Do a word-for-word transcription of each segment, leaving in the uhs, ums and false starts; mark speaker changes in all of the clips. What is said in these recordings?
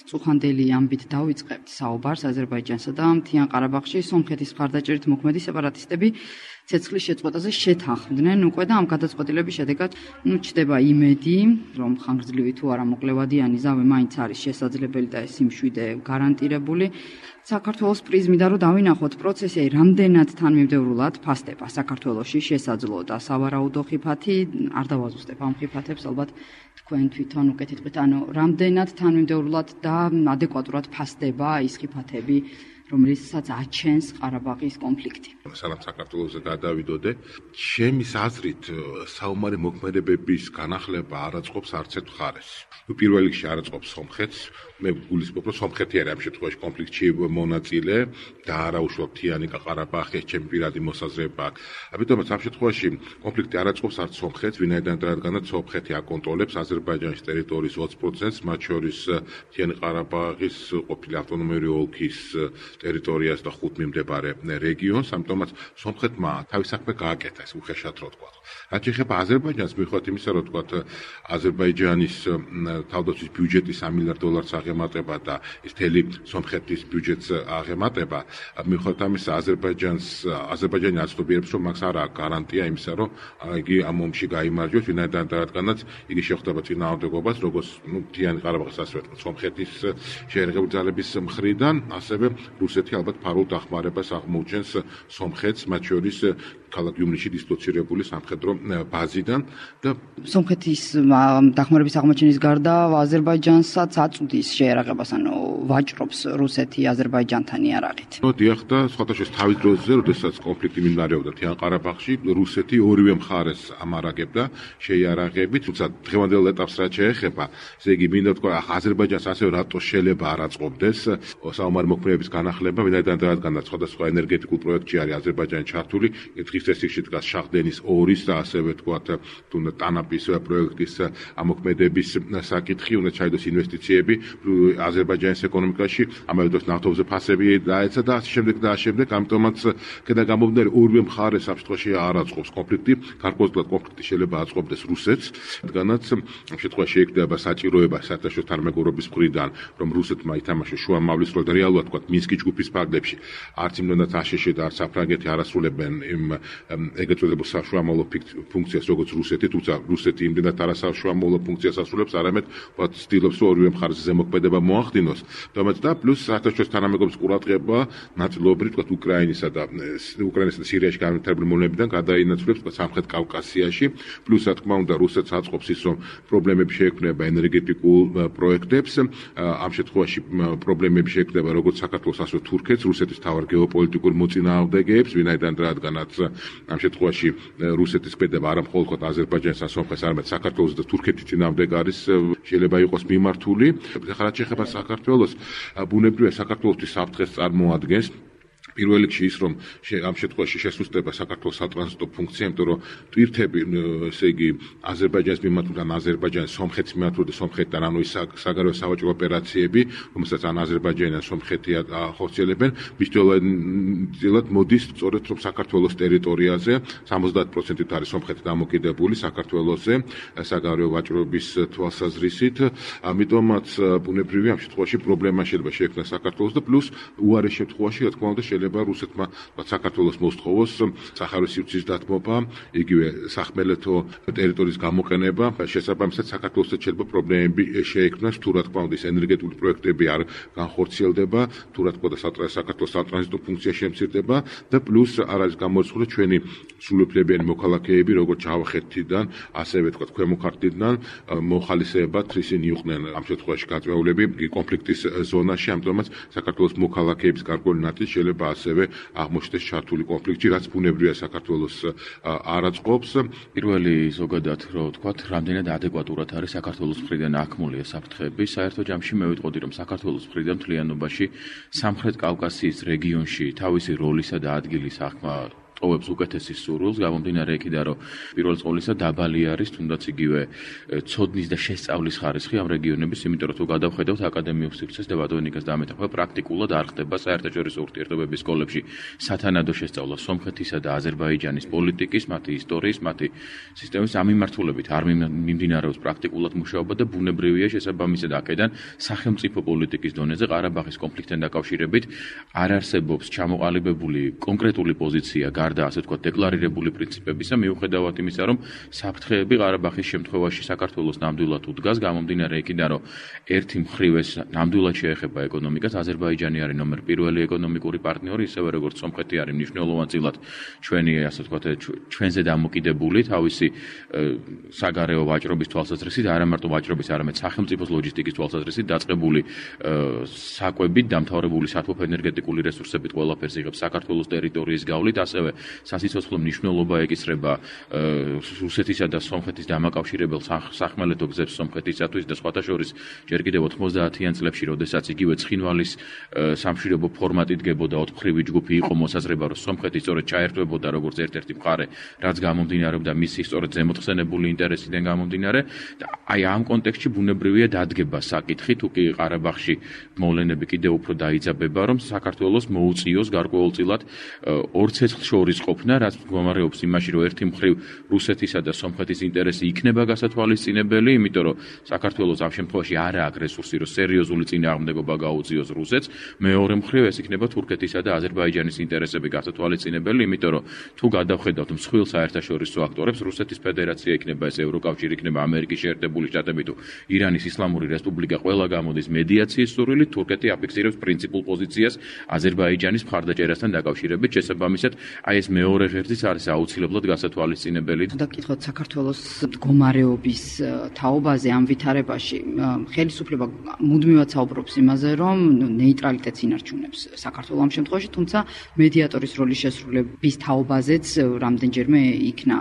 Speaker 1: წუხანდელი ამბით დავიწყებთ საუბარს აზერბაიჯანსა და მთიან ყარაბაღში სომხეთის მხარდაჭერით მოქმედი სეპარატისტები ცეცხლის შეწყვეტაზე შეთანხმდნენ უკვე და ამ გადაწყვეტილების შედეგად ნუ ჩდება იმედი, რომ ხანგრძლივი თუ არა მოკლევადიანი ზავი მაინც არის შესაძლებელი და ეს სიმშვიდე გარანტირებული. საქართველოს პრიზმიდან რომ დავინახოთ პროცესი რამდენად თანმიმდევრულად ფასდება საქართველოში შესაძლო და სავარაუდო ხიფათი არ დავაზუსტებ ამ ხიფათებს ალბათ თქვენ თვითონ უკეთით, ანუ რამდენად თანმიმდევრულად და ადეკვატურად ფასდება ის ხიფათები რომელსაც აჩენს ყარაბაღის კონფლიქტი.
Speaker 2: სანამ საქართველოზე გადავიდოდე, ჩემის აზრით საომარი მოქმედებების განახლება არ აწყობს არც ერთ მხარეს. ნუ პირველ რიგში არ აწყობს სომხეთს, მე გულისხმობ, რომ სომხეთი არის ამ შემთხვევაში კონფლიქტში მონაწილე და არა უშუალოდ მთიანი ყარაბაღის ჩემი პირადი მოსაზრება აქვს. ამიტომაც ამ შემთხვევაში კონფლიქტი არ აწყობს არც სომხეთს, ვინაიდან რადგანაც სომხეთი აკონტროლებს აზერბაიჯანის ტერიტორიის ოცი პროცენტს, მათ შორის მთიანი ყარაბაღის ყოფილი ავტონომიური ოლქის ტერიტორიას და ხუთ მიმდებარე რეგიონს, ამიტომაც სომხეთმა თავის საქმე გააკეთა, ეს უხეშად რო ვთქვა. რაც შეეხება აზერბაიჯანს, მიუხედავად იმისა, რომ ვთქვა აზერბაიჯანის თავდაცვის ბიუჯეტი სამი მილიარდ დოლარს აღემატება და ის მთელი სომხეთის ბიუჯეტს აღემატება, მიუხედავად ამისა, აზერბაიჯანს აზერბაიჯანი აცნობიერებს, რომ მაგას არ აქვს გარანტია იმისა, რომ იგი ამ ომში გაიმარჯვებს, ვინაიდან რადგანაც იგი შეხვდება წინააღმდეგობას, როგორც ნუ მთიანი ყარაბაღის ასე ვთქვათ, სომხეთის შეერაღებული ძალების მხრიდან, ასევე რუსეთი ალბათ ფარულ დახმარებას აღმოუჩენს სომხეთს, მათ შორის ქალაქ იუმრიში დისლოცირებული სამხედრო ბაზიდან და
Speaker 1: სომხეთის დახმარების აღმოჩენის გარდა აზერბაიჯანსაც აწვდის შეერაღებას, ანუ ვაჭრობს რუსეთი აზერბაიჯანთან იარაღით.
Speaker 2: ნუ დიახ და სხვადასხვა თავის დროზე, როდესაც კონფლიქტი მიმდინარეობდა მთიან ყარაბაღში, რუსეთი ორივე მხარეს ამარაგებდა შეიარაღებით, თუმცა დღევანდელ ეტაპს რაც შეეხება, ესე იგი მინდა ვთქვა, აზერბაიჯანს ასევე რატო შეიძლება არ აწყობდეს საომარი მოქმედებების განახლება, ვინაიდან რადგანაც სხვადასხვა ენერგეტიკულ პროექტში არის აზერბაიჯანი ჩართული, დღის წესრიგში დგას შახდენის ორის და ასევე ვთქვათ, თუნდაც ტანაპის პროექტის ამოქმედების საკითხი, უნდა ჩაიდოს ინვესტიციები აზერბაიჯანის ეკონომიკაში, ამავე დროს ნავთობზე ფასები დაეცა და ასე შემდეგ და ასე შემდეგ, ამიტომაც კიდე გამომდინარე ორივე მხარეს ამ შემთხვევაში არ აწყობს კონფლიქტი, გარკვეულად კონფლიქტი შეიძლება აწყობდეს რუსეთს, რადგანაც ამ შემთხვევაში ექნება საჭიროება საერთაშორისო თანამეგობრობის მხრიდან, რომ რუსეთმა ითამაშოს შუამავლის როლი და რეალურად ვთქვათ, მინსკის ჯგუფის ფარგლებში არც იმდენად აშშ და არც საფრანგეთი არ ასრულებენ იმ ეგრეთ წოდებულ საშუამავლო ფუნქციას, როგორც რუსეთი, თუმცა რუსეთი იმდენად არასაშუამავლო ფუნქციას ასრულებს, არამედ ვთქვათ, ცდილობს, რომ ორივე მხარეს ზემოქმედება მოახდინოს. და პლუს საერთაშორისო თანამეგობრობის ყურადღება ნაწილობრივ ვთქვათ, უკრაინისა და უკრაინისა და სირიაში განვითარებული მოვლენებიდან გადაინაცვლებს ვთქვათ, სამხრეთ კავკასიაში, პლუს რა თქმა უნდა, რუსეთს აწყობს ის, რომ პრობლემები შეექმნება ენერგეტიკულ პროექტებს, ამ შემთხვევაში პრობლემები შეექმნება როგორც საქართველოს, ასევე თურქეთს, რუსეთის თავარ გეოპოლიტიკურ მოწინააღმდეგეებს, ვინაიდან რადგანაც ამ შემთხვევაში რუსეთის ქმედება არა მხოლოდ აზერბაიჯანის ან სომხეთის, არამედ საქართველოს და თურქეთის წინააღმდეგ არის, შეიძლება იყოს მიმართული. ახლა რაც შეეხება საქართველოს, ბუნებრივია საქართველოსთვის საფრთხეს წარმოადგენს. პირველ რიგში ის, რომ ამ შემთხვევაში შესუსტება საქართველოს სატრანზიტო ფუნქცია, იმიტომ რომ ტვირთები, ესე იგი, აზერბაიჯანის მიმართულებით ან აზერბაიჯანის სომხეთის მიმართულებით სომხეთთან, ანუ ის საგარეო სავაჭრო ოპერაციები, რომელსაც ან აზერბაიჯანი ან სომხეთი ახორციელებენ, მისდევად მოდის სწორედ რომ საქართველოს ტერიტორიაზე სამოცდაათი პროცენტით არის სომხეთი დამოკიდებული საქართველოზე საგარეო ვაჭრობის თვალსაზრისით, ამიტომაც ბუნებრივია ამ შემთხვევაში პრობლემა შეიძლება შეექმნას საქართველოს და პლუს უარეს შემთხვევაში, რა თქმა უნდა, შეიძლება რუსეთმა საქართველოს მოსთხოვოს სახარის სივრცის დათმობა, იგივე სახმელეთო ტერიტორიის გამოყენება, შესაბამისად საქართველოსთან შეიძლება პრობლემები შეექმნას, თუ რა თქმა უნდა ის ენერგეტიკული პროექტები არ განხორციელდება, თუ რა თქმა უნდა საქართველოს სატრანზიტო ფუნქცია შემცირდება და პლუს არ არის გამორიცხული ჩვენი სრულუფლებიანი მოქალაქეები, როგორც ჯავახეთიდან, ასევე ვთქვათ, ქვემო ქართლიდან მოხალისეებად ისინი იყვნენ ამ შემთხვევაში გაწეულები კონფლიქტის ზონაში, ამიტომაც საქართველოს მოქალაქეების გარკვეული ნაწილი შეიძლება ასევე აღმოჩნდეს ჩართული კონფლიქტში, რაც ბუნებრივია საქართველოს არ აწყობს.
Speaker 3: პირველი ზოგადად რო ვთქვათ, რამდენად ადეკვატურად არის საქართველოს მხრიდან აქმული ეს საფრთხეები. საერთო ჯამში მე ვიტყოდი, რომ საქართველოს მხრიდან მთლიანობაში სამხრეთ კავკასიის რეგიონში თავისი როლისა და ადგილის აღქმა ტოვებს უკეთესის სურვილს, გამომდინარე იქიდან, რომ პირველ ყოვლისა დაბალი არის თუნდაც იგივე ცოდნის და შესწავლის ხარისხი ამ რეგიონების, იმიტომ რომ თუ გადავხედავთ აკადემიურ სივრცეს და ბატონიკას დამეთანხმება, პრაქტიკულად არ ხდება საერთაშორისო ურთიერთობების სკოლებში სათანადო შესწავლა სომხეთისა და აზერბაიჯანის პოლიტიკის, მათი ისტორიის, მათი სისტემის ამ მიმართულებით არ მიმდინარეობს პრაქტიკულად მუშაობა და ბუნებრივია შესაბამისად აქედან სახელმწიფო პოლიტიკის დონეზე ყარაბაღის კონფლიქტთან დაკავშირებით არ არსებობს ჩამოყალიბებული კონკრეტული პოზიცია გარდა ასე ვთქვათ დეკლარირებული პრინციპებისა, მიუხედავად იმისა, რომ საფრთხეები ყარაბაღის შემთხვევაში საქართველოს ნამდვილად უდგას, გამომდინარე იქიდან, რომ ერთი მხრივ ეს ნამდვილად შეეხება ეკონომიკას, აზერბაიჯანი არის ნომერ პირველი ეკონომიკური პარტნიორი, ისევე როგორც სომხეთი არის მნიშვნელოვანწილად ჩვენი ასე ვთქვათ ჩვენზე დამოკიდებული თავისი საგარეო ვაჭრობის თვალსაზრისით, არა მარტო ვაჭრობის, არამედ სახელმწიფოს ლოჯისტიკის თვალსაზრისით დაწყებული საკვებით, დამთავრებული სათოფ ენერგეტიკული რესურსებით ყველაფერს იღებს საქართველოს ტერიტორიის გავლით, ასევე სასიცოცხლო მნიშვნელობა ეკისრება რუსეთისა და სომხეთის დამაკავშირებელ სახმელეთო გზებს სომხეთისათვის და სხვათა შორის ჯერ კიდევ ოცდაათიან წლებში, როდესაც იგივე ცხინვალის სამშვიდობო ფორმატი დგებოდა ოთხმხრივი ჯგუფი იყო მოსაზრება, რომ სომხეთი სწორედ ჩაერთვებოდა როგორც ერთ-ერთი მხარე, რაც გამომდინარეობდა მისი სწორედ ზემოთხსენებული ინტერესიდან გამომდინარე და აი ამ კონტექსტში ბუნებრივია დადგება საკითხი, თუ კი ყარაბაღში მოვლენები კიდევ უფრო დაიძაბება, რომ საქართველოს მოუწიოს გარკვეულწილად ორ ცეცხლ შორის ყოფნა, რაც მდგომარეობს იმაში, რომ ერთი მხრივ რუსეთისა და სომხეთის ინტერესი იქნება გასათვალისწინებელი, იმიტომ რომ საქართველოს ამ შემთხვევაში არ აქვს რესურსი, რომ სერიოზული წინააღმდეგობა გაუწიოს რუსეთს, მეორე მხრივ ეს იქნება თურქეთისა და აზერბაიჯანის ინტერესები გასათვალისწინებელი, იმიტომ რომ თუ გადავხედავთ მსხვილ საერთაშორისო აქტორებს, რუსეთის ფედერაცია იქნება ეს ევროკავშირი, იქნება ამერიკის შეერთებული შტატები თუ ირანის ისლამური რესპუბლიკა, ყველა გამოდის მედიაციის სურვილით, თურქეთი აფიქსირებს პრინციპულ პოზიციას აზერბაიჯანის მხარდაჭერასთან დაკავშირებით, შესაბამისად, აი ეს მეორე ღერძიც არის აუცილებლად გასათვალისწინებელი.
Speaker 1: და კითხოთ საქართველოს მდგომარეობის თაობაზე ამ ვითარებაში, ხელისუფლება მუდმივად საუბრობს იმაზე, რომ ნეიტრალიტეტს ინარჩუნებს საქართველოს ამ შემთხვევაში, თუმცა მედიატორის როლის შესრულების თაობაზეც რამდენჯერმე იქნა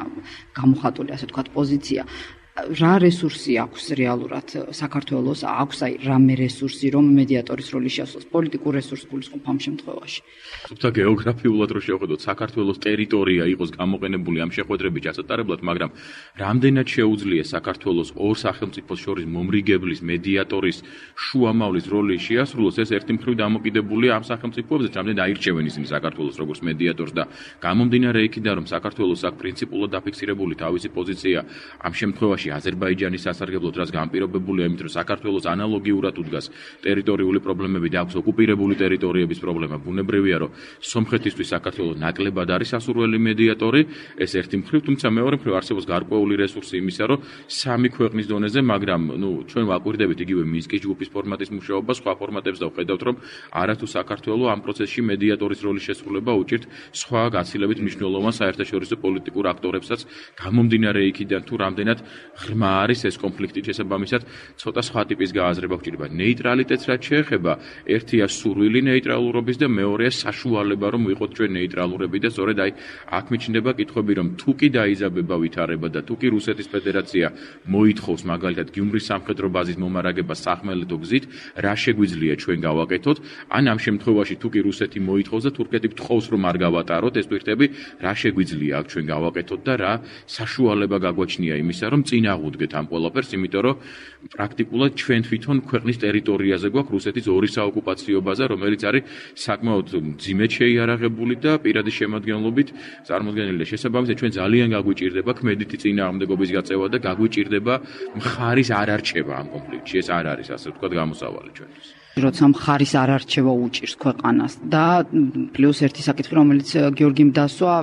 Speaker 1: გამოხატული, ასე ვთქვათ, პოზიცია. რა რესურსი აქვს რეალურად საქართველოს, აქვს აი რამე რესურსი, რომ მედიატორის როლი შეასრულოს, პოლიტიკურ რესურსს გულისხმობ ამ შემთხვევაში.
Speaker 3: თუმცა გეოგრაფიულად რო შევხედოთ, საქართველოს ტერიტორია იყოს გამოყენებული ამ შეხვედრების ჩასატარებლად, მაგრამ რამდენად შეუძლია საქართველოს ორ სახელმწიფოს შორის მომრიგებლის, მედიატორის, შუამავლის როლი შეასრულოს, ეს ერთი მხრივ დამოკიდებულია ამ სახელმწიფოებზე, რამდენად აირჩევენ ისინი საქართველოს როგორც მედიატორს და გამომდინარე იქიდან, რომ საქართველოს აქვს პრინციპულად დაფიქსირებული თავისი პოზიცია ამ შემთხვევაში აზერბაიჯანის სასარგებლოდ, რაც განპირობებულია იმით, რომ საქართველოს ანალოგიურად უდგას ტერიტორიული პრობლემები და აქვს ოკუპირებული ტერიტორიების პრობლემა. ბუნებრივია, რომ სომხეთისთვის საქართველოს ნაკლებად არის სასურველი მედიატორი, ეს ერთი მხრივ, თუმცა მეორე მხრივ არსებობს გარკვეული რესურსი იმისა, რომ სამი ქვეყნის დონეზე, მაგრამ ნუ ჩვენ ვაკვირდებით იგივე მინსკის ჯგუფის ფორმატის მუშაობა, სხვა ფორმატებს და ვხედავთ, რომ არათუ საქართველოს ამ პროცესში მედიატორის როლის შესრულება უჭირთ სხვა გაცილებით მნიშვნელოვან საერთაშორისო პოლიტიკურ აქტორებსაც, გამომდინარე იქიდან თუ რამდენად ღრმა არის ეს კონფლიქტი, შესაბამისად ცოტა სხვა ტიპის გააზრება გვჭირდება. ნეიტრალიტეტს რაც შეეხება, ერთია სურვილი ნეიტრალურობის და მეორეა საშუალება, რომ ვიყოთ ჩვენ ნეიტრალურები და სწორედ აი აქ მიჩნდება კითხვები, რომ თუ კი დაიძაბება ვითარება და თუ კი რუსეთის ფედერაცია მოითხოვს მაგალითად გიუმრის სამხედრო ბაზის მომარაგება სახმელეთო გზით, რა შეგვიძლია ჩვენ გავაკეთოთ, ან ამ შემთხვევაში თუ კი რუსეთი მოითხოვს და თურქეთი გთხოვს, რომ არ გავატაროთ ეს პირთები, რა შეგვიძლია აქ ჩვენ გავაკეთოთ და რა საშუალება გაგვაჩნია იმისა, რომ წინ აღუდგეთ ამ ყველაფერს, იმიტომ რომ პრაქტიკულად ჩვენ თვითონ ქვეყნის ტერიტორიაზე გვაქვს რუსეთის ორი საოკუპაციო ბაზა, რომელიც არის საკმაოდ მძიმედ შეიარაღებული და პირადი შემადგენლობით წარმოდგენილი. შესაბამისად, ჩვენ ძალიან გაგვიჭირდება ქმედითი წინააღმდეგობის გაწევა და გაგვიჭირდება მხარის არარჩევა ამ კონფლიქტში. ეს არ არის, ასე ვთქვათ, გამოსავალი ჩვენთვის.
Speaker 1: როცა მხარის არ არჩევა უჭირს ქვეყანას და პლუს ერთი საკითხი, რომელიც გიორგიმ დასვა,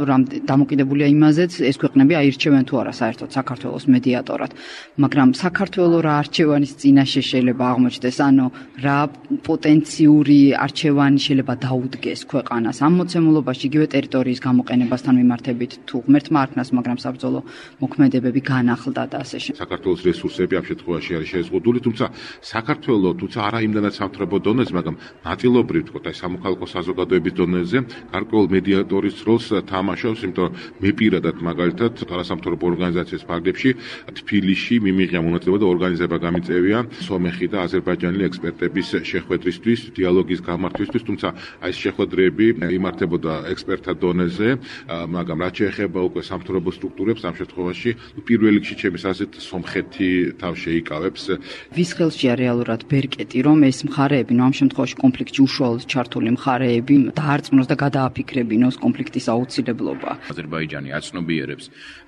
Speaker 1: დამოკიდებულია იმაზეც, ეს ქვეყნები აირჩევენ თუ არა საერთოდ საქართველოს მედიატორად, მაგრამ საქართველოს რა არჩევანის წინაშე შეიძლება აღმოჩნდეს, ანუ რა პოტენციური არჩევანი შეიძლება დაუდგეს ქვეყანას ამ მოცემულობაში, იგივე ტერიტორიის გამოყენებასთან მიმართებით, თუ ღმერთმა არქმას, მაგრამ საბრძოლო მოქმედებები განახლდა და ასე შემდეგ.
Speaker 2: საქართველოს რესურსები ამ შემთხვევაში არის შეზღუდული, თუმცა საქართველოს თუცა არა იმდანაც სამთავრობო სამხედრო დონეზე, მაგრამ ნაწილობრივ თქო, აი სამოქალაქო საზოგადოების დონეზე გარკვეულ მედიატორის როლს თამაშობს, იმიტომ რომ მე პირადად მაგალითად არასამთავრობო ორგანიზაციის ფარგლებში თბილისში მიმიღია მონაწილეობა და ორგანიზება გამიწევია სომეხი და აზერბაიჯანელი ექსპერტების შეხვედრისთვის, დიალოგის გამართვისთვის, თუმცა აი ეს შეხვედრები იმართებოდა ექსპერტთა დონეზე, მაგრამ რაც შეეხება უკვე სამთავრობო სტრუქტურებს, ამ შემთხვევაში პირველ რიგში ჩემს აზრით სომხეთი თავ შეიკავებს.
Speaker 1: ვის ხელშია რეალურად ბერკეტი, რომ ეს მხარეები, ნუ ამ შემთხვევაში კონფლიქტში უშუალოდ ჩართული მხარეები დაარწმუნოს და გადააფიქრებინოს კონფლიქტის აუცილებლობა.
Speaker 3: აზერბაიჯანი აცნობიერებს,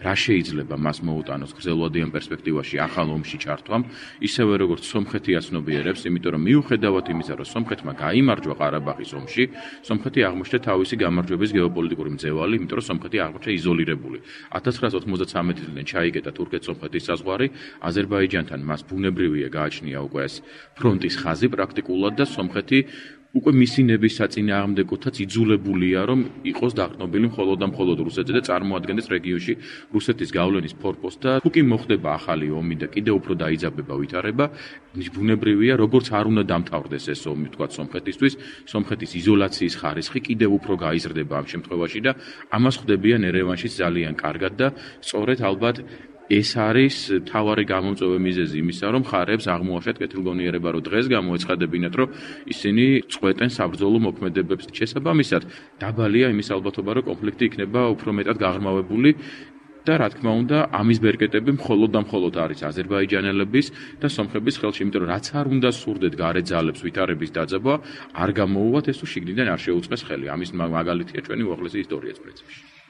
Speaker 3: რა შეიძლება მას მოუტანოს გრძელვადიან პერსპექტივაში ახალ ომში ჩართვამ, ისევე როგორც სომხეთი აცნობიერებს, იმიტომ რომ მიუხედავად იმისა, რომ სომხეთმა გაიმარჯვა ყარაბაღის ომში, სომხეთი აღმოჩნდა თავისი გამარჯვების გეოპოლიტიკური მძევალი, იმიტომ რომ სომხეთი აღმოჩნდა იზოლირებული. ათას ცხრაასი ოცდამოცამეტი წლიდან ჩაიკეტა თურქეთ-სომხეთის საზღვარი, აზერბაიჯანთან მას ბუნებრივია გააჩნია უკვე ეს ფრონტის ხაზი პრაქტიკულად და სომხეთი უკვე მისი ნების საწინააღმდეგოთაც იძულებულია, რომ იყოს დაყრდნობილი მხოლოდ და მხოლოდ რუსეთზე და წარმოადგენდეს რეგიონში რუსეთის გავლენის ფორპოსტს და თუ კი მოხდება ახალი ომი და კიდევ უფრო დაიძაბება ვითარება, ბუნებრივია, როგორც არ უნდა დამთავრდეს ეს ომი, თქვა სომხეთისთვის, სომხეთის იზოლაციის ხარისხი კიდევ უფრო გაიზრდება ამ შემთხვევაში და ამას ხვდებიან ერევანშიც ძალიან კარგად და სწორედ ალბათ ეს არის თავარი გამომწვევი მიზეზი იმისა, რომ მხარეებს აღმოაჩათ კეთილგონიერება, რომ დღეს გამოეცხადებინათ, რომ ისინი წყვეტენ საბრძოლო მოქმედებებს. შესაბამისად, დაბალია იმის ალბათობა, რომ კონფლიქტი იქნება უფრო მეტად გაღრმავებული და რა თქმა უნდა, ამის ბერკეტები მხოლოდ და მხოლოდ არის აზერბაიჯანელების და სომხების ხელში, იმიტომ რომ რაც არ უნდა სურდეთ გარე ძალებს ვითარების დაძაბვა, არ გამოუვათ ეს თუ შიგნიდან არ შეუწყეს ხელი. ამის მაგალითია ჩვენი უახლესი ისტორიაც პრინციპში.